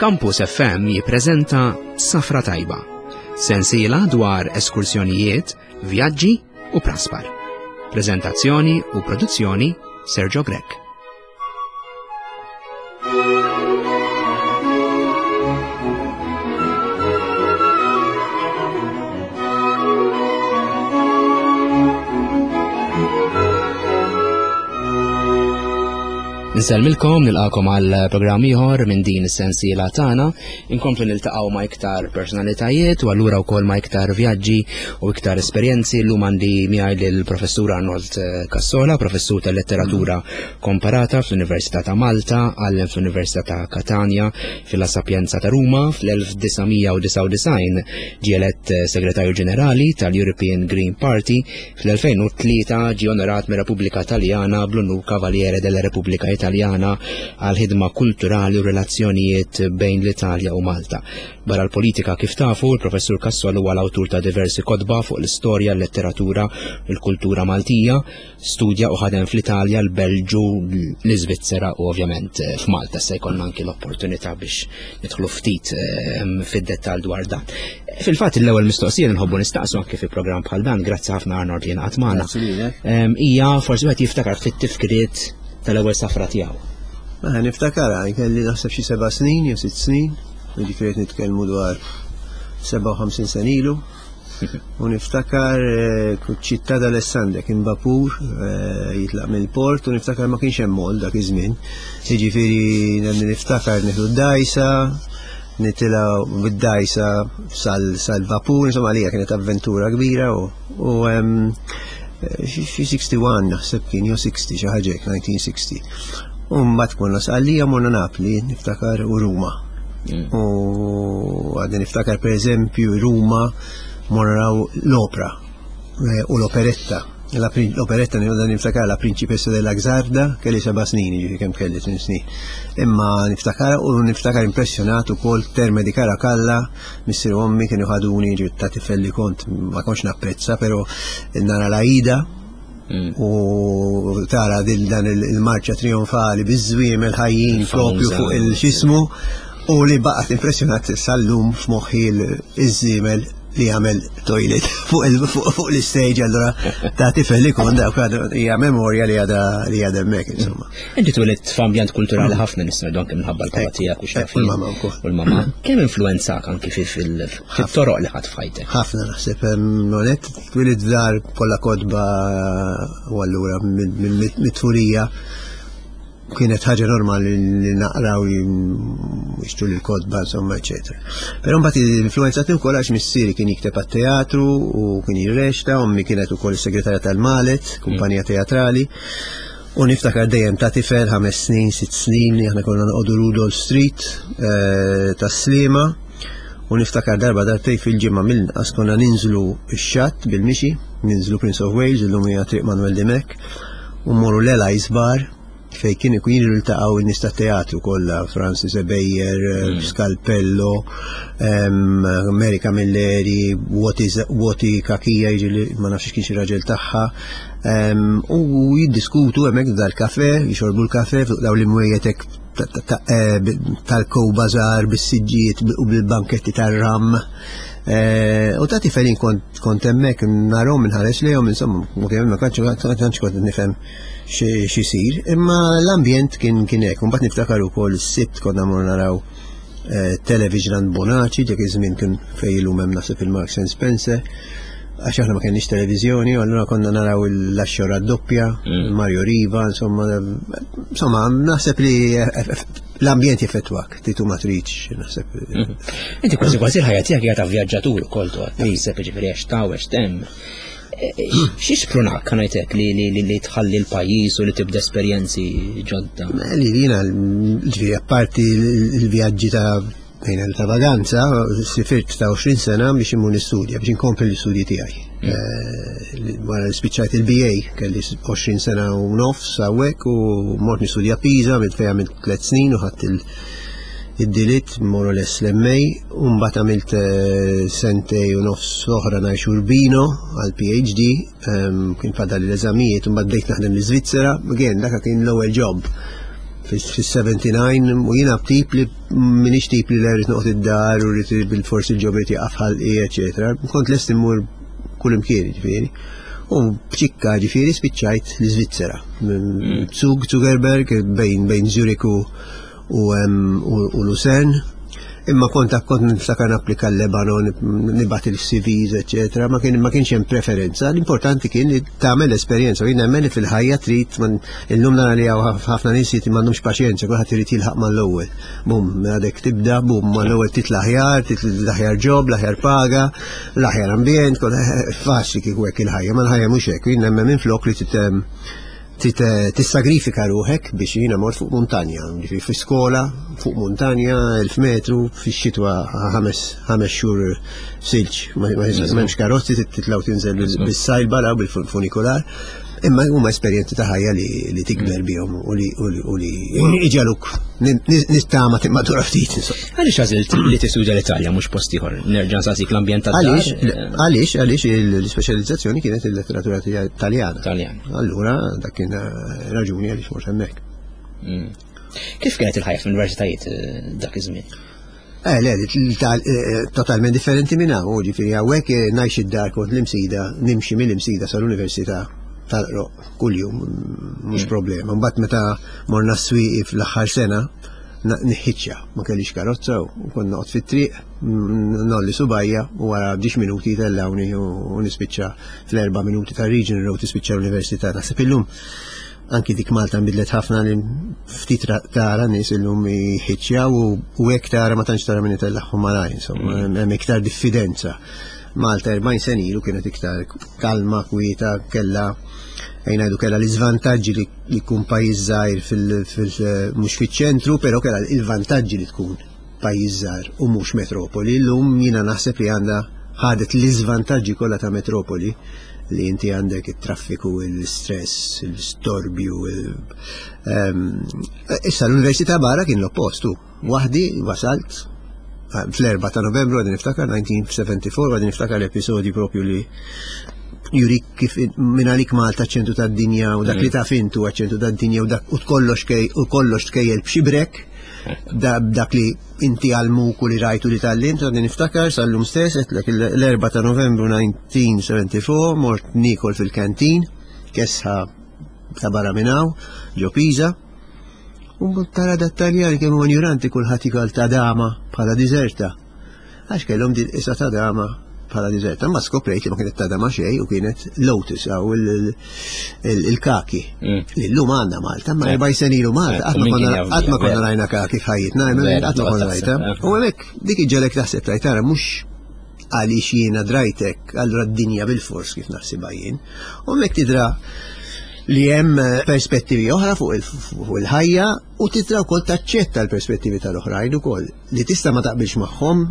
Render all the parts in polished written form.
Campus FM jippreżenta Safra Tajba, sensiela dwar eskursjonijiet, vjaġġi u praspar. Preżentazzjoni u produzzjoni Sergio Grech. Nsellmilkom nilqakom għal programm ieħor minn din is-sensiela tagħna. Inkomplu niltaqgħu ma' iktar personalitajiet u allura wkoll ma' iktar vjaġġi u iktar esperjenzi. Llum għandi miegħi lill-Professur Arnold Cassola, professur tal-letteratura komparata fl-Università ta' Malta, għallem fl-Università ta' Katanja, fil-La Sapienza ta' Ruma, fl-1999 ġie elett eh, Segretarju Ġenerali tal-European Green Party, fl-2003 ġie onorat mir-Repubblika Taljana bl-unur Cavaliere della Repubblica Italjana għal ħidma kulturali u relazzjonijiet bejn l-Italja u Malta. Barra l-politika kif tafu, il-Professur Cassol huwa l-awtur ta' diversi kotba fuq l-istorja, l-letteratura, il-kultura Maltija, Studja u ħadem fl-Italja, l-Belġu, l-Iżvizzera u ovvjament eh, f'Malta se jkollna anki l-opportunità biex nidħlu ftit ehm, fid-dettall dwar dan. Fil-fatt l-ewwel mistoqsija li nħobbu nistaqsu anki fi programm bħal dan, grazzi ħafna Arnold li ngħaqad magħna. Ehm, hija forsi wieħed jiftakar ftit tifkiriet tal-ewwel safra tiegħu. Mela niftakar kelli naħseb xi seba' snin jew sitt snin, jiġifieri nitkellmu dwar 57 sen ilu. U niftakar eh, ċittà d'Alessandria kien vapur eh, jitlaq mill-port u niftakar ma kienx hemm mol dak iż-żmien. Jiġifieri niftakar nieħdu d-dajsa, nitilgħu bid-dajsa sal-vapur, insomma għalija kienet avventura kbira u xi 61 naħseb kien jew 60 xi ħaġa 1960. U mbagħad konna sqallija morna Napli, niftakar u Ruma. Mm. U għadni niftakar per eżempju Ruma morraw l-opra eh, u l-operetta. L-operetta niftakar niftakar la Principessa della Gzarda, kelli seba' snin, ġifi kemm kelli tmien snin. Imma niftakar u niftakar impressjonat ukoll terme di Caracalla, missier ommi kienu ħaduni ġifi ta' tifel li kont ma kontx napprezza, però nara l-Aida Mm. U tara din dan il-marċa trionfali biż-żwiemel ħajjin propju fuq il-xismu u li baqgħet impressjonat sal-lum f'moħħi iż-żiemel li għamel toilet fuq l-istage allura ta' tifel li kon dawk hija memorja li għadha li għadha hemmhekk insomma. Inti twelidt f'ambjent kulturali ħafna nistgħu anke minħabba l-papa tiegħek u x'naf. U l-mama wkoll. U l-mama. Kemm influenzak anki fil-toroq li ħadd f'ħajtek? Ħafna naħseb nonet Twilit f'dar kollha kotba u allura mit-tfulija kienet ħaġa normali li naqraw jixtru l-kotba, insomma, eccetera. Però mbagħad influenzatni wkoll għax missieri kien jikteb għat-teatru u kien jirrexta, ommi kienet ukoll is-segretarja tal-Malet, kumpanija teatrali. U niftakar dejjem ta' tifel ħames snin, sitt snin, aħna konna noqogħdu Rudolf Street eh, tas-Sliema. U niftakar darba darbtej fil-ġimgħa mill-inqas konna ninżlu x-xatt bil-mixi, ninżlu Prince of Wales, illum hija Triq Manuel Dimech, u mmorru l-Eli's Bar fej kien ikun jiġu ltaqgħu n-nies tat-teatru kollha, Francis Ebejer, mm. Scalpello, Mary Camilleri, Woti Kakija, jiġi ma nafx kien xi raġel tagħha, U jiddiskutu hemmhekk dal-kafe, jixorbu l-kafe fuq dawn l-imwejjed hekk eh, tal-kow bazar bis-siġġijiet u bil-banketti tar-ram. Eh, u ta' tifel kont kont hemmhekk narhom inħares lejhom insomma, ma kontx kont nifhem x'isir, imma l-ambjent kien kien hekk. Mbagħad niftakar ukoll is-sibt konna mor naraw eh, Television Bonaci, dak iż-żmien kien fejn illum hemm naħseb il-Marks and Spencer għax aħna ma kenniex televiżjoni, u allura konna naraw l-axxora doppja, mm. Mario Riva, insomma, insomma, naħseb li l-ambjent jeffettwak, titu ma tridx, naħseb. Mm. Inti kważi kważi l-ħajja tiegħek hija ta' vjaġġatur ukoll toqgħod taħseb jiġifieri għax ta' għax temm. E, e, xi sprunak ngħidlek li li li tħalli l-pajjiż u li tibda esperjenzi ġodda? Li jiena ġifieri apparti l-vjaġġi ta' Fejn ta' vaganza, sifirt ta' 20 sena biex immur nistudja, biex inkompli l-istudji tiegħi. Mm. Eh, wara li spiċċajt il-BA, kelli 20 sena u nofs hawnhekk u mort nistudja Pisa, għamilt fejn għamilt tliet snin u ħadd id-dilitt more or less l-MA, u mbagħad għamilt eh, sentej u nofs oħra ngħix Urbino għal PhD, ehm, kien fadal l-eżamijiet, u mbagħad bdejt naħdem l-Iżvizzera, again dak kien l-ewwel job. Fis-79 u jiena tip li minix tip li rrid noqgħod id-dar u rrid bil-forsi l-ġob irid jaqaf ħalqi, eċetera. Kont lest immur kull imkien, ġifieri. U b'ċikka ġifieri spiċċajt l-Iżvizzera. Zug, Zuckerberg, bejn bejn Zurich u u Lucerne. Imma kont kont niftakar napplika l-Lebanon, nibgħat il-CVs, eċetera, ma kien ma kienx hemm preferenza. L-importanti kien li tagħmel esperjenza. Jien nemmen li fil-ħajja trid illum nara li hawn ħafna nies li m'għandhomx paċenzja, kulħadd irid jilħaq mal-ewwel. Bum, għadek tibda, bum, mal-ewwel titla' aħjar, titla' l-aħjar job, l-aħjar paga, l-aħjar ambjent, faċli kieku hekk il-ħajja, ma l-ħajja mhux hekk. Jien nemmen minflok li tissagrifika ruħek biex jiena mort fuq muntanja, ġifieri fi skola fuq muntanja 1000 metru fix-xitwa ħames xhur silġ, ma m'hemmx karozzi titlaw tinżel bis-sajlba law bil-funikular. Imma huma esperjenzi ta' ħajja li tikber bihom u li iġaluk nittama timmatura ftit. Għaliex għażilt li tistudja l-Italja mhux post ieħor? Nerġa' nsaqsik l-ambjent tad Għaliex, għaliex, għaliex l-ispeċjalizzazzjoni kienet il-letteratura Taljana. Taljan. Allura dak kien raġuni għaliex mort hemmhekk. Kif kienet il-ħajja fl-universitajiet dak iż-żmien? Le, totalment differenti minn hawn, ġifieri hawnhekk ngħix id-dar kont l-Imsida, nimxi mill-Imsida sal-Università tal-Qroq kuljum, mhux problema. Mbagħad meta morna s-Swieqi fl-aħħar sena, niħħiċċja, ma kellix karozza u kont noqgħod fit-triq, nolli subajja u wara 10 minuti tellawni u nispiċċa fl-4 minuti ta' Regional Road tispiċċa l-università. Naħseb illum anki dik Malta nbidlet ħafna li ftit tara nies illum jħiċċjaw u hekk tara ma tantx tara min itellagħhom malajr, insomma, hemm iktar diffidenza. Malta 40 sena ilu kienet iktar kalma, kwieta, kella ejn ngħidu kella l-iżvantaġġi li jkun pajjiż żgħir mhux fiċ-ċentru, però kella il-vantaġġi li tkun pajjiż żgħir u mhux metropoli. Illum jiena naħseb li għandha ħadet l-iżvantaġġi kollha ta' metropoli li inti għandek it-traffiku, il-stress, il-storbju. Issa l-università barra kien l-oppostu. Waħdi wasalt fl-4 ta' Novembru għadni niftakar 1974 għadni niftakar l-episodju propju li jurik kif minn għalik Malta ċentru tad-dinja u dak li taf intu ċentru tad-dinja u dak u kollox u kollox tkejjel b'xibrek dak li inti għalmuk u li rajtu li tal-lim, għadni niftakar sal-lum stess, għedtlek l-4 ta' Novembru 1974 mort nikol fil-kantin, kesħa ta' barra minn hawn, ġo Pisa, u tara dat Taljan kemm huwa ignoranti kulħadd jikol ta' dama bħala diżerta. Għax kellhom din isa ta' dama bħala diżerta, ma skoprejt li ma kienet ta' dama xejn u kienet lotus għaw il-kaki. Li llum għandna Malta, ma 40 sena ilu Malta, qatt ma konna rajna kaki f'ħajjitna, qatt ma konna rajta. U hemmhekk dik iġġelek taħseb tajt tara mhux għaliex jiena drajtek, allura d-dinja bil-fors kif naħsibha jien. U hemmhekk tidra li hemm perspettivi oħra fuq il-ħajja u tidra wkoll taċċetta l-perspettivi tal-oħrajn ukoll li tista' ma taqbilx magħhom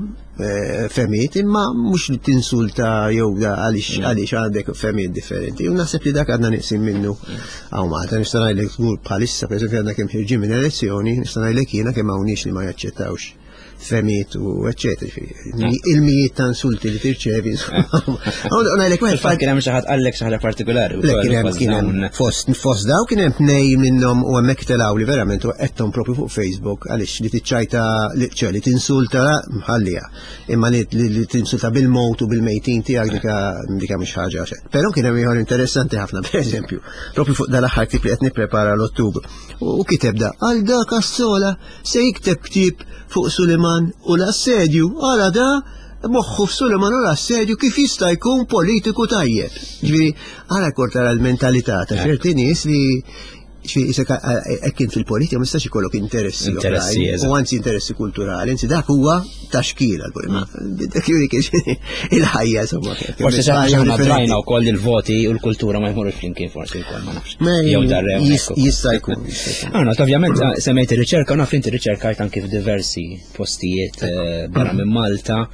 fehmiet imma mhux li tinsulta jew għaliex għaliex għandek fehmiet differenti. U naħseb li dak għandna neqsin minnu hawn Malta. Nista' ngħidlek żgur bħalissa pereżempju għandna kemm ħirġin minn elezzjoni, nista' ngħidlek jiena kemm hawn nies li ma jaċċettawx fehmiet u eċċetera. Il-mijiet ta' insulti li tirċevi. Ngħidlek wieħed Fil-fatt kien hemm xi ħadd qallek xi ħaġa partikolari. Le, kien hemm kien hemm fost fost daw kien hemm tnej minnhom u hemmhekk telgħu li verament u qedthom propju fuq Facebook għaliex li tiċċajta li ċe li tinsulta mħallija. Imma li li tinsulta bil-mowt u bil-mejtin tiegħek dika dika mhix ħaġa xejn. Però kien hemm ieħor interessanti ħafna pereżempju, propju fuq dal-aħħar ktieb li qed nipprepara l-Ottubru. U kiteb da għal dak Assola se jikteb ktieb fuq Suliman u l-assedju, għala da moħħu f'Suliman u l-assedju kif jista' jkun politiku tajjeb. Ġifieri, għala kort tara l-mentalità ta' ċerti nies li ġifieri isek hekk kien fil-politika ma jistax ikollok interessi Interessi, oħrajn, u anzi interessi kulturali, anzi dak huwa taxkil għal-politika. Dak juri kien il-ħajja insomma. Forsi xi ħaġa aħna drajna wkoll il-voti u l-kultura ma jmorrux flimkien forsi wkoll ma nafx. Jew darrew. Jista' jkun, jista' jkun. Arnold, ovvjament semmejt ir-riċerka, naf inti riċerkajt anki f'diversi postijiet barra minn Malta.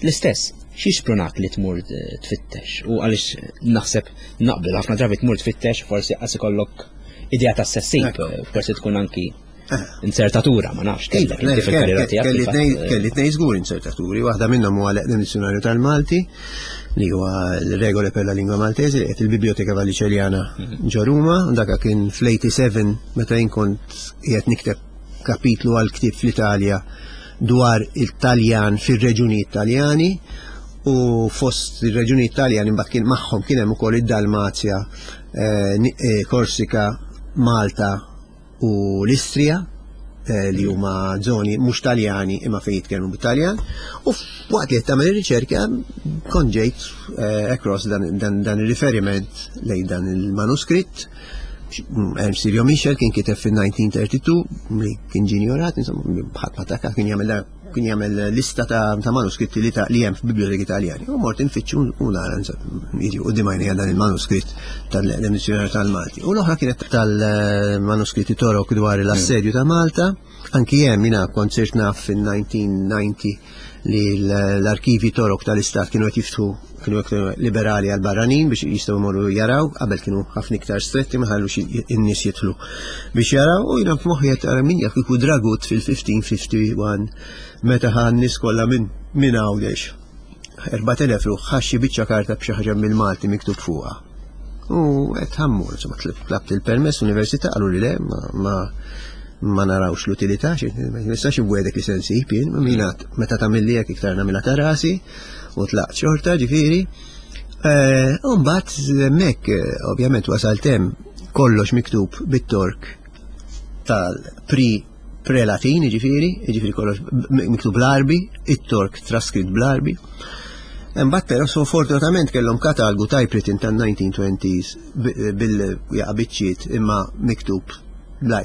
L-istess, xi xprunak li tmur tfittex? U għaliex naħseb naqbel ħafna drabi tmur tfittex forsi qas ikollok idea ta' sessib, forsi tkun anki. Insertatura, ma nafx, kellek inti fil-karriera tiegħek. Kelli tnej żgur insertaturi, waħda minnhom huwa l-eqdem dizzjonarju tal-Malti, li huwa l-regole per la lingua Maltese, qed il-Biblioteka Vallicelliana ġo Ruma, dak kien fl-87 meta jien kont qiegħed nikteb kapitlu għal ktieb fl-Italja dwar il-Taljan fir-reġuni Taljani u fost ir-reġuni Taljani mbagħad kien magħhom kien hemm ukoll id-Dalmazja, Korsika, Malta u l-Istrija li huma żoni mhux Taljani imma fejn jitkellmu bit-Taljan. U waqt li qed tagħmel ir-riċerka kont ġejt across dan ir-riferiment lejn dan il-manuskritt. Ernst Silvio Michel kien kiteb fil-1932 li kien ġinjorat, insomma, ħadd ma taka kien jagħmel kien jagħmel lista ta' manuskritti li ta' li hemm f'biblioteki Taljani. U mort infittxu u nara jiġi quddiem għajnejja dan il-manuskritt tal-Dizjonarju tal-Malti. U l-oħra kienet tal-manuskritti Torok dwar l-assedju ta' Malta. Anki hemm jiena kont sirt naf fin-1990 li l-arkivi Torok tal-Istat kienu qed jiftħu kienu iktar liberali għal barranin biex jistgħu jmorru jaraw, qabel kienu ħafna iktar stretti ma ħallux in-nies jidħlu biex jaraw u jiena f'moħħi qed tara min jaf kieku Dragut fil-1551 meta ħa n-nies kollha minn minn Għawdex. 4000 ruħ ħa xi biċċa karta b'xi ħaġa mill-Malti miktub fuqha. U qed ħammur, insomma tlabt il-permess università qalu li le ma ma narawx l-utilità, ma nistax inwegħdek li se nsib jien, mina meta tagħmilli hekk iktar nagħmilha ta' rasi u tlaqt xorta ġifieri. Eh, u mbagħad hemmhekk eh, ovvjament wasalt hemm kollox miktub bit-Tork tal-pri pre-Latin, ġifieri, ġifieri kollox miktub bl-Arbi, it-Tork traskritt bl-Arbi. Imbagħad però so fortunatament kellhom katalgu typewritten tan-1920s bil-jaqa' biċċiet imma miktub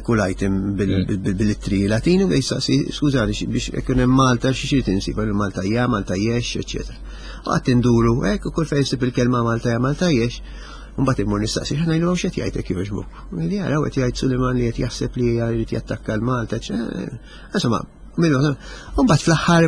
kull item bil-ittri Latini u jistaqsi skużani biex ikun hemm Malta xi xi tinsib Malta hija, Malta jex, eċetera. U qatt induru hekk u kull fejn issib il-kelma Malta hija Malta jex, Mbagħad immur nistaqsi x'aħna ngħidu x'qed jgħid jogħġbok. Li jaraw qed jgħid Suliman li qed jaħseb li jrid jattakka l-Malta. Insomma, Mbagħad fl-aħħar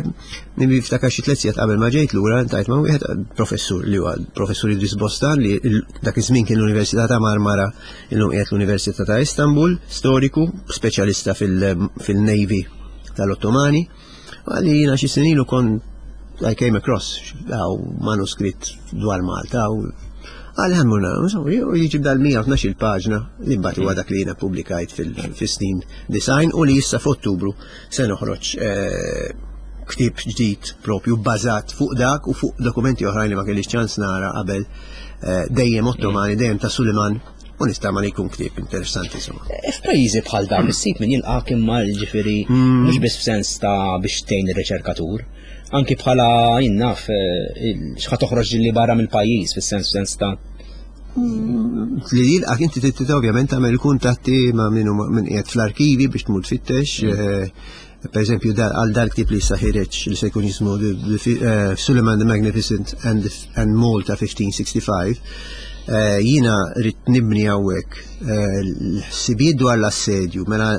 niftakar xi tliet sigħat qabel ma ġejt lura ntajt ma' wieħed professur li huwa professur Idris Bostan li dak iż-żmien kien l-Università ta' Marmara illum qiegħed l-Università ta' Istanbul, storiku, speċjalista fil-Navy tal-Ottomani. Għalli jiena xi snin ilu kont I came across għaw manuskritt dwar Malta u għal ħammuna, u jiġib dal-112 il-paġna li mbagħad huwa dak li jiena publikajt fis-snin design u li issa f'Ottubru se noħroġ eh, ktieb ġdid propju bbażat fuq dak u fuq dokumenti oħrajn li ma kellix ċans nara qabel eh, dejjem Ottomani, dejjem ta' Suliman u nistama li jkun ktieb interessanti insomma. Eh, f'pajjiżi bħal dawn issib min jilqak imma ġifieri hmm. mhux biss f'sens ta' biex tgħin ir-riċerkatur, anki bħala jinnaf eh, x'ħa toħroġ li barra mill-pajjiż fis-sens sens ta' hmm. li jilqak inti trid ovvjament tagħmel kuntatti ma' min min qiegħed fl-arkivi biex tmur tfittex. Hmm. Eh, per eżempju, għal dal-ktib li issa ħireġ li se jkun jismu eh, Suleiman the Magnificent and, and Malta 1565, eh, jina rrit nibni hawnhekk eh, l-ħsibijiet dwar l-assedju, mela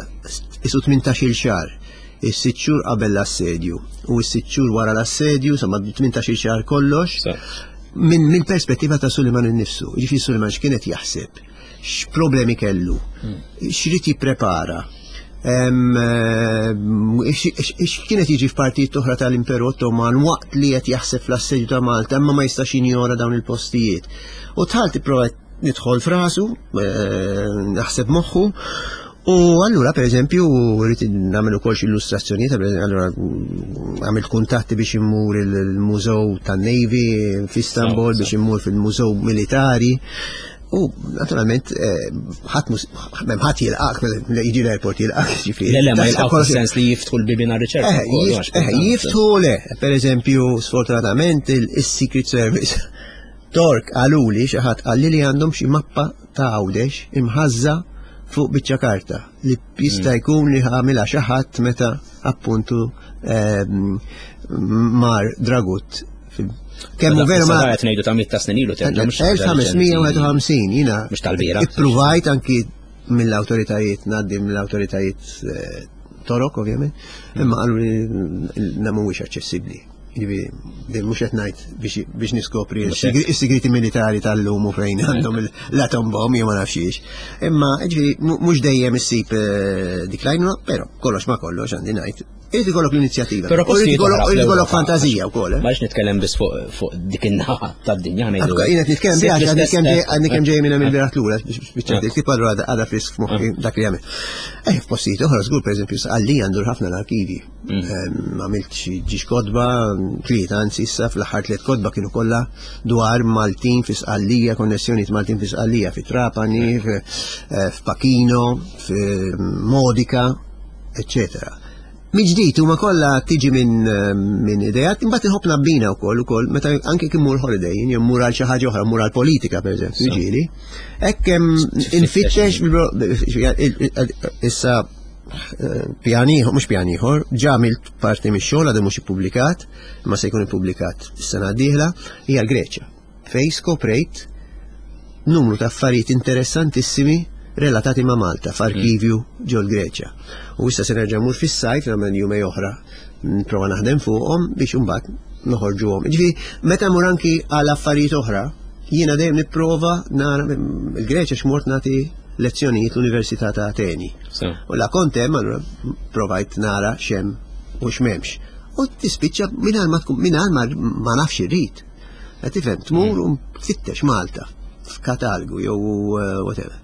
isu 18-il xahar, is-sitt xhur qabel l-assedju u s-sitt xhur wara l-assedju, insomma 18-il xahar kollox, minn min perspettiva ta' Suleiman innifsu. Ġifieri Suleiman x'kienet jaħseb? x'problemi kellu, hmm. x'rid jipprepara, x'kienet jiġi f'partijiet oħra tal-Imperu Ottoman waqt li qed jaħseb fl-assedju ta' Malta imma ma jistax jinjora dawn il-postijiet. U tħalt ipprovat nidħol frasu, eh, naħseb moħħu, U allura, per eżempju, rrid nagħmel ukoll xi illustrazzjonijiet, allura għamilt kuntatti biex immur il-Mużew tan-Navy f'Istanbul, biex immur fil-Mużew Militari. U naturalment eh, ħadd m'hemm ħadd jilqak, jiġi l-airport jilqak, ġifieri. Le, le, ma jilqak sens li jiftħu l-bibien għar-riċerka. Eh, eh, jiftħu le, per eżempju, sfortunatament il-Secret Service Tork qaluli xi ħadd qalli li għandhom xi mappa ta' Għawdex imħażża fuq biċċa karta li jista' mm. jkun li għamilha xi ħadd meta appuntu ehm, mar Dragut Kemm hu veru ma qed ngħidu ta' mit ta' snin ilu terġa' 1551 jiena mhux tal-bira. Ippruvajt anki mill-awtoritajiet ngħaddi mill-awtoritajiet eh, torok ovvjament, imma qalu li mhuwiex aċċessibbli. Jiġifieri, din mhux qed ngħid biex niskopri is-sigriti militari tal-lum u fejn għandhom l-atom bomb jew ma nafx Imma jiġifieri mhux dejjem issib eh, dik l-għajnuna, però kollox ma kollox għandi ngħid. Irid ikollok l-inizjattiva. Però irid ikollok fantazija wkoll. Eh? Ma nitkellem biss fuq dik in-naħa tad-dinja ngħidu. Jien qed nitkellem biha għadni kemm ġej minn hemm il-bieraħ lura biex biċċa dik allura għadha frisk f'moħħi dak li għamel. Eh, f'postijiet oħra żgur pereżempju għalli għandu ħafna l-arkivi. Għamilt xi ġiex kotba, tlieta anzi issa fl-aħħar tliet kotba kienu kollha dwar Maltin fi Sqallija, konnessjonijiet Maltin fi Sqallija, fi Trapani, eh, f'Pakino, f'Modica, eccetera. Miġdid huma kollha tiġi minn eh, min idejat, imbagħad inħobb nabbina wkoll ukoll meta anke kien mur holiday, jien mur għal xi ħaġa oħra, mur għal politika pereżempju, ġieli. Hekk infittex issa pjan ieħor, mhux pjan ieħor, ġa għamilt parti mix-xogħol għadu mhux ippubblikat, imma se jkun ippubblikat is-sena d-dieħla, hija l-Greċja. Fej skoprejt numru ta' affarijiet interessantissimi relatati ma' Malta f'arkivju mm. ġol Greċja. U issa se nerġa' mur fis-sajf nagħmel jumej oħra nprova naħdem fuqhom biex imbagħad noħorġuhom. Ġifieri meta mur anki għal affarijiet oħra, jiena dejjem nipprova nara il-Greċja x'mort nagħti lezzjonijiet l-Università ta' Ateni. U la kont hemm allura provajt nara x'hemm u x'm'hemmx. U tispiċċa mingħajr ma tkun mingħajr ma nafx irrid. Qed tifhem tmur u tfittex Malta f'katalgu jew eh, whatever.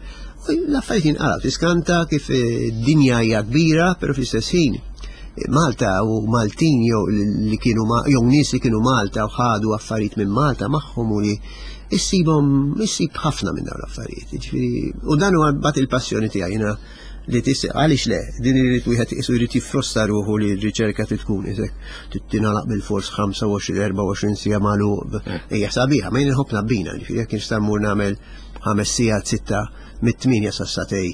U l-affarijiet jinqalgħu tiskanta kif eh, dinja hija kbira, però fl-istess ħin eh, Malta u Maltin jew li kienu jew nies li kienu Malta u ħadu affarijiet minn Malta magħhom u li issibhom issib ħafna minn dawn l-affarijiet. Jiġifieri, u dan huwa bat il-passjoni tiegħi jiena li tis għaliex le, din irid wieħed isu jrid jiffrosta ruħu li r-riċerka trid tkun isek tingħalaq bil-fors 25-24 siegħa magħluq. Eh. Hija sabiħa, ma jien inħobb nabbina, ġifieri jekk nista' mmur nagħmel ħames sigħat sitta mit-8 sa satej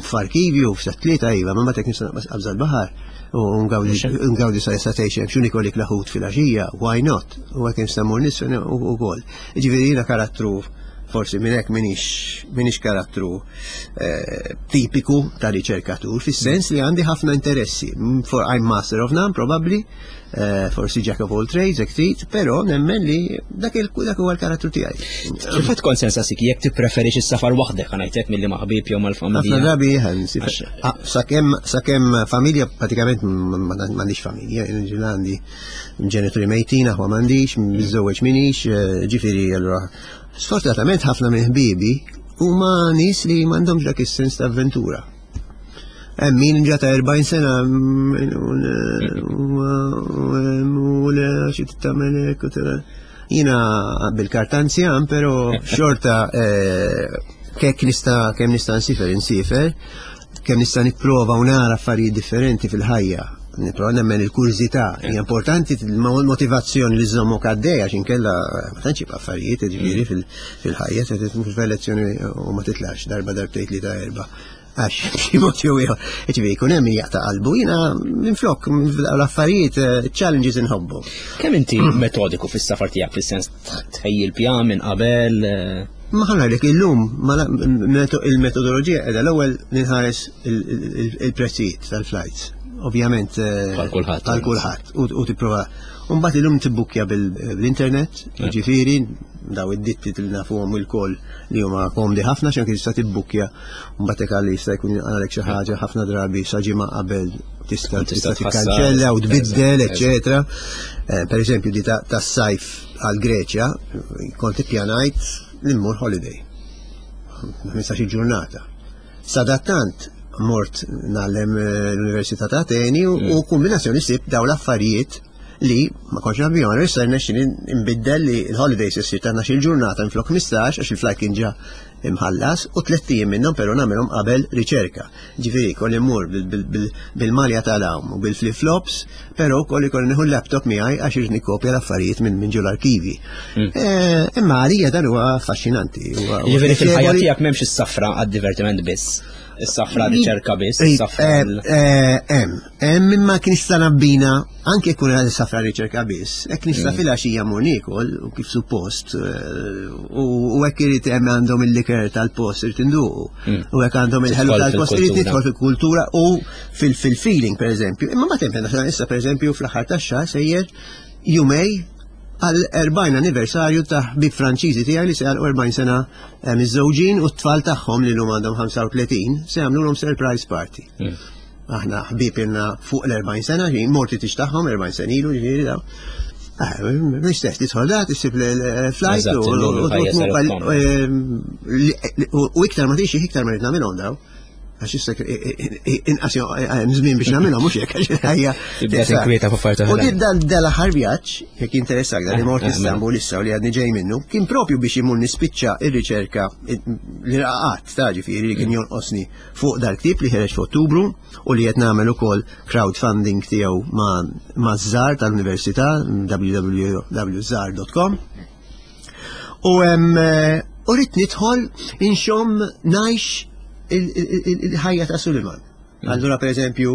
f'arkivju f'sa tlieta iva, ma meta nista' naqbas qabża l-baħar u ngawdi sa satej xejn xuni kolik laħut fil-għaxija, why not? U hekk nista' mmur nisfen ukoll. Ġifieri jiena karattru forsi minn hekk minix minix karattru eh, tipiku ta' riċerkatur, fis-sens li għandi ħafna interessi. For I'm master of none, probably, eh, forsi jack of all trades, hekk trid, però nemmen li dak il dak huwa l-karattru tiegħi. Fil-fatt kont sensa sik jekk tippreferix is-safar waħdek ħa ngħidlek milli ma' ħbieb jew mal-familja. Ħafna drabi ah, sakemm sakemm familja pratikament m'għandix familja, għandi ġenituri mejtin, aħwa m'għandix, miżżewweġ minix, eh, ġifieri allura. Sfortunatament ħafna minn ħbiebi huma nies li m'għandhomx dak is-sens ta' avventura. Hemm min ġa ta' 40 sena u le xi tagħmel hekk u Jiena bil-kartanzjan, però xorta eh, kek nista' kemm nista' nsifer insifer, kemm nista' nipprova u nara affarijiet differenti fil-ħajja. Nipprova nemmen il-kurżità hija importanti motivazzjoni li żommok għaddej għax inkella ma tantx jibqa' affarijiet ġifieri mm. fil-ħajja se tmur f'elezzjoni u ma titlax darba darbtejn li ta' erba' għax b'xi mod jew ieħor. Ġifieri jkun hemm min jaqta' qalbu jiena minflok l-affarijiet eh, challenges inħobbu. Kemm inti metodiku fis-safar tiegħek fis-sens tħejji l-pjan minn qabel? Eh? Ma ħanajlek illum il-metodoloġija qiegħda l-ewwel ninħares il-prezzijiet tal-flights. Ovvjament eh, għal kulħadd. Għal kulħadd u tipprova. Mbagħad illum tibbukkja bil-internet, jiġifieri daw id-ditti li nafuhom il-koll li huma komdi ħafna x'anke tista' tibbukkja mbagħad hekk għal jista' jkun għalek xi ħaġa ħafna drabi sa ġimgħa qabel tista' tista' tikkanċella u tbiddel, eċetera. Eh, per eżempju di tas-sajf għal Greċja kont ippjanajt li mmur holiday. 15 ġurnata. Sadattant mort nagħllem eh, l-Università ta' Ateni u mm. kombinazzjoni sib daw l-affarijiet li ma kontx naf bihom, issa rnexxieli nbiddel li l-holidays issir ta' 12 ġurnata minflok 15 għax il-flight kien ġa imħallas u tlett ijiem minnhom però nagħmilhom qabel riċerka. Ġifieri kolli mmur bil-malja tal-għawm u bil-flip flops, però wkoll ikolli nieħu l-laptop miegħi għax irid nikkopja l-affarijiet minn ġol arkivji. Mm. Eh, imma għalija dan huwa affaxxinanti. Ġifieri fil-ħajja tiegħek m'hemmx is-safra għad-divertiment biss. Is-safra riċerka biss, eh, is-safra. Eh, hemm, hemm imma kien nista' nabbina anke jkun għal safra riċerka biss, hekk nista' mm. filgħaxija mur niekol u kif suppost eh, u hekk irid hemm għandhom il-liker tal-post irid induqu. Mm. U hekk għandhom il-ħelu tal-post irid nidħol fil-kultura u fil-feeling pereżempju. Imma ma tempen issa pereżempju fl-aħħar tax-xahar sejjer jumej għal 40 anniversarju ta' ħbib Franċiżi tiegħi li se jagħlqu 40 sena eh, miżżewġin u t-tfal tagħhom li llum għandhom 35 se jagħmlulhom surprise party. Aħna ħbib ilna fuq l-40 sena, ġi morti tix tagħhom 40 sena ilu ġifieri daw. Ah, L-istess, tidħol da, tissib l-flight u iktar ma tixi, iktar ma rrid nagħmilhom daw. Għax issa inqas żmien biex nagħmilhom mhux hekk għax il-ħajja. Tibda tinkwieta fuq affarijiet U oħrajn. din dan dal-aħħar vjaġġ, jekk jinteressak dan li mort Istanbul issa u li għadni ġej minnu, kien propju biex imur nispiċċa ir-riċerka li raqat ta' ġifieri li kien jonqosni fuq dal-ktieb li ħereġ f'Ottubru u li qed nagħmel ukoll crowdfunding tiegħu ma' żar tal-Università www.żar.com. U u rrid nidħol inxomm ngħix il-ħajja ta' Suliman. Allura per eżempju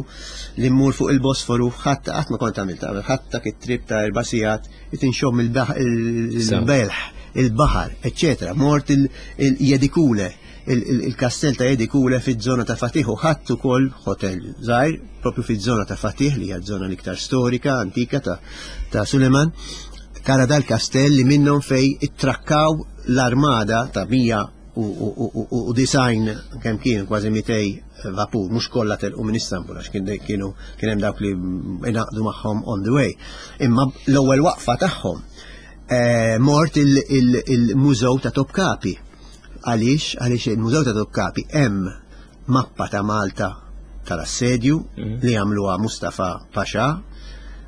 li mmur fuq il-Bosforu ħadd qatt ma kont għamilt qabel, ħadd dak it-trip ta' erba' sigħat qed inxomm il-belħ, il-baħar, eċċetera. Mort il-Jedikule, il-kastell ta' Jedikule fiż-żona ta' Fatih u ħadd ukoll hotel żgħir propju fiż-żona ta' Fatih li hija żona l-iktar storika, antika ta' Suleman. Tara dal-kastell li minnhom fej ittrakkaw l-armada ta' 190 kemm kien kważi 200 vapur, mhux kollha telqu minn Istanbul għax kien kienu kien hemm dawk li ingħaqdu magħhom on the way. Imma l-ewwel waqfa tagħhom eh, mort il-mużew ta' Topkapi. Għaliex? Għaliex il-mużew ta' Topkapi hemm mappa ta' Malta tal-assedju li għamluha Mustafa Pasha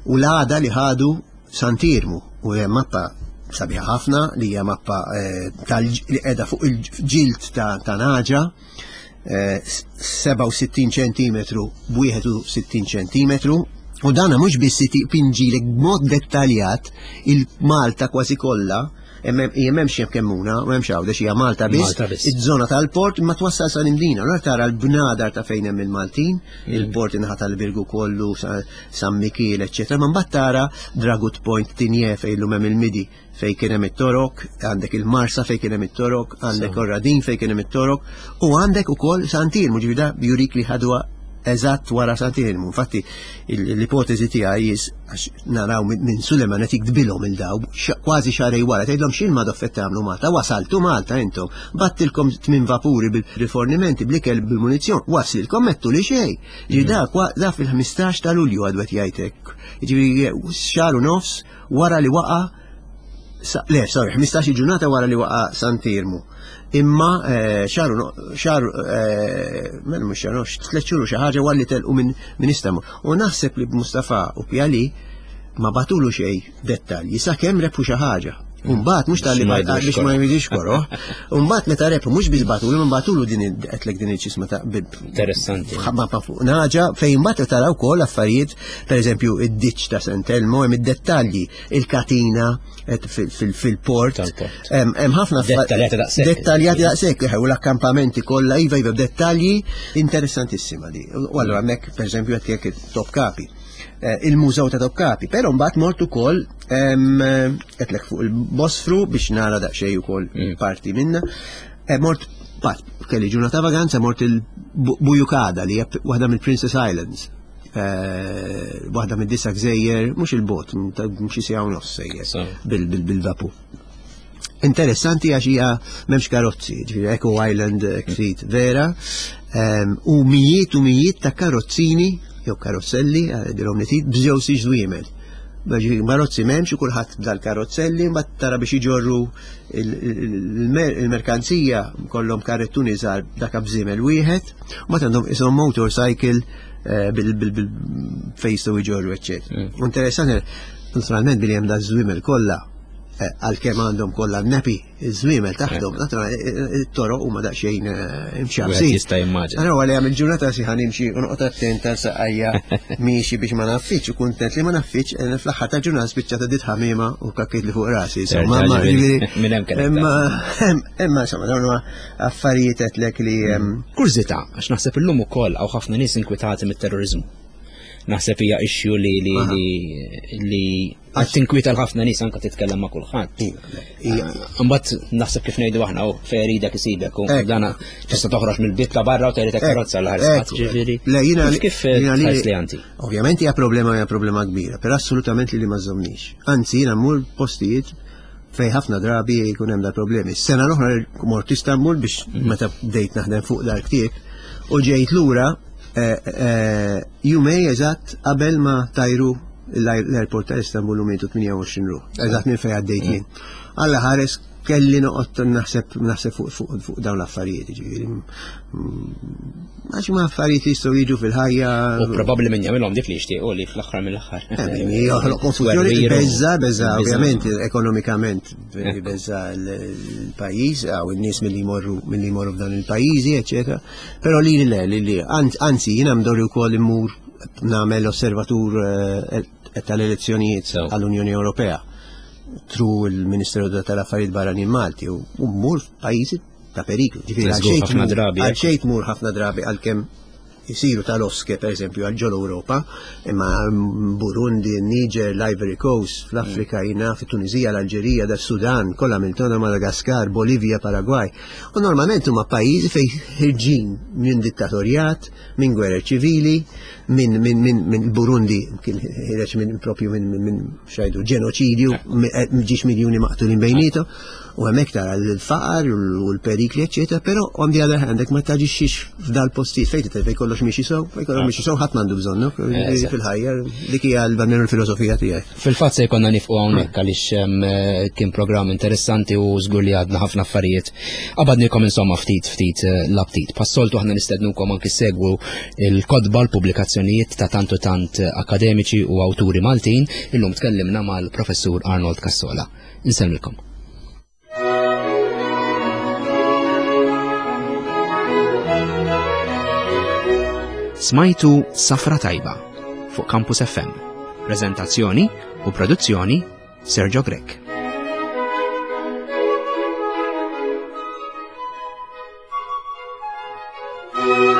u l-għada li ħadu Sant'Iermu u hemm mappa sabiħa ħafna li hija mappa eh, tal li qiegħda fuq il-ġild ta' naġa eh, 67 ċentimetru b'61 ċentimetru u dana mhux biss pinġilek b'mod dettaljat il-Malta kważi kollha m'hemmx hemm Kemmuna, u hemmx Għawdex, hija Malta biss, iż-żona tal-port ma twassal sa Imdina. Allura tara l-bnadar ta' fejn hemm il-Maltin, il-port inħa tal-Birgu kollu, San Mikiel, eċċetera. Ma mbagħad tara Dragut Point Tinje fejn illum hemm il-Midi fejn kien hemm it-Torok, għandek il-Marsa fejn kien hemm it-Torok, għandek Orradin fejn kien hemm it-Torok, u għandek ukoll Sant'Iermu, ġifieri da jurik li ħadwa eżatt wara Sant'Iermu. Infatti l-ipotezi tiegħi jis għax naraw minn Suleman qed jiktbilhom il daw kważi xarej wara tgħidlhom x'il ma doffett tagħmlu Malta, wasaltu Malta intom, battilkom tmien vapuri bil-rifornimenti, bl-ikel bil-munizzjon, waslilkom mettu li xejn. Ġi mm. da da fil-15 ta' Lulju għadu qed jgħidlek. Ġifieri xahar u nofs wara li waqa' le, sorry, 15 ġurnata wara li waqa' Sant'Iermu. Imma eh, xaru, xaru, eh, mela mhux xaru, tliet xhur xi ħaġa wara li telqu minn Istanbul. U naħseb li Mustafa u Pjali ma batulu xejn dettalji sakemm rebħu xi ħaġa. Umbagħad mhux tal-li biex ma jridix koro. Umbagħad meta rebħu mhux biss batulu, ma batulu din qedlek din il-ċisma ta' Interessanti. Ma fuq naġa fejn mbagħad taraw ukoll affarijiet, pereżempju id-ditx ta' Santelmo hemm id-dettalji, il-katina fil-port. Hemm ħafna dettaljati daqshekk. Dettaljati daqshekk, u l-akkampamenti kollha iva iva dettalji interessantissima di. U allura hemmhekk pereżempju qed jekk Topkapi. Eh, il-mużew ta' Topkapi, però mbagħad mort ukoll qedlek fuq il-Bosfru biex nara daqsxejn ukoll mm. parti minna. Eh, mort bat kelli ġurnata vaganza mort il-Bujukada li hija waħda mill-Princess Islands. Eh, waħda mid-disa gżejjer, mhux il-bot, xi siegħa u nofs sejjer bil-vapu. Interessanti għax hija m'hemmx karozzi, ġifieri Eco Island eh, trid vera, ehm, u mijiet u mijiet ta' karozzini jew karozzelli, eh, dilhom li trid, b'żew siġ żwiemel. Karozzi m'hemmx u kulħadd dal-karozzelli, mbagħad tara biex iġorru il-merkanzija kollhom karrettuni żgħar dak bżiemel wieħed, u mbagħad għandhom ishom motorcycle eh, bil-fejn jistgħu jġorru, eċċetera. Mm. Interessanti, naturalment billi hemm da żwiemel kollha eh, għalkemm għandhom kollha nepi iż-żwiemel taħtom, naturalment eh, it-toroq huma daqsxejn imxabsin. Jista' jimmaġina. Ara għalli għamil ġurnata si ħanimxi u noqgħod attent għal saqajja miexi biex ma naffiċ u kuntent li ma naffiċ fl-aħħar ta' ġurnata spiċċata dit ħamima u kakkiet li fuq rasi. Imma imma insomma dawn huma affarijiet għedtlek li. Kurżità, għax naħseb illum ukoll hawn ħafna nies inkwitati mit-terroriżmu. Naħseb hija issue li li li li qed tinkwieta l-ħafna nies anke titkellem ma' kulħadd. Imbagħad naħseb kif ngħidu aħna u fejn iridek isibek u dana tista' toħroġ mill-bit ta' barra u tgħidlek karozza l ħares ġifieri. Le jiena kif tħares li anti? Ovvjament hija problema hija problema kbira, però assolutament li li ma żżomnix. Anzi jiena mmur postijiet fej ħafna drabi jkun hemm dal-problemi. Sena l-oħra mort Istanbul biex mhm. meta bdejt naħdem fuq dal-ktieb u ġejt lura eh, eh, jumej eżatt qabel ma tajru l-airport ta' Istanbul u mietu 28 ruħ. Eżatt minn fejn għaddejt jien. Alla ħares kelli noqgħod naħseb naħseb fuq fuq fuq dawn l-affarijiet, ġifieri. Għax ma affarijiet li jistgħu jiġu fil-ħajja. U probabbli min jagħmilhom dik li jixtiequ li fl-aħħar mill-aħħar. Eh, joħloq konfużjoni, beża, beża, ovvjament, ekonomikament, beża l-pajjiż, għaw in-nies milli jmorru milli jmorru f'dan il-pajjiżi, eċetera. Però li le, li li, anzi, jiena mdorri wkoll immur nagħmel osservatur eh, tal-elezzjonijiet għall-Unjoni Ewropea tru il-Ministeru tal-Affarijiet Barranin Malti u mmur f'pajjiżi ta' periklu. Ġifieri għal xejn tmur ħafna drabi għalkemm jisiru tal-oske per eżempju għal ġol Ewropa, imma Burundi, Niger, l-Ivory Coast, fl-Afrika jina, fit-Tunizija, l-Alġerija, da Sudan, kollha Miltona, Madagaskar, Bolivja, Paraguay. U normalment huma pajjiżi fejn ħirġin minn dittatorjat, minn gwerer ċivili, minn min, min, min Burundi kien ħireġ minn propju minn min, xajdu ġenoċidju, eh, ġiex miljuni maqtulin bejnietu, u hemmhekk tara l-faqar u l-perikli, eċetera, però on the other hand ma taġixxix f'dal postijiet fejn titgħid fejn kollox miexi sew, fejn kollox miexi sew ħadd m'għandu bżonnu eh, fil-ħajja, dik hija l-almenu l-filosofija tiegħi. Fil-fatt se jkollna nifqu hawnhekk għaliex eh, kien programm interessanti u żgur li għadna ħafna affarijiet. Qabadnikom insomma ftit ftit eh, l-aptit. Passoltu aħna nistednukom anki segwu il-kotba l-pubblikazzjonijiet ta' tant u tant akademiċi u awturi Maltin, illum tkellimna mal-professur Arnold Cassola. Insellmilkom. Smajtu Safra Tajba fuq Campus FM. Prezentazzjoni u produzzjoni Sergio Grech. Thank you.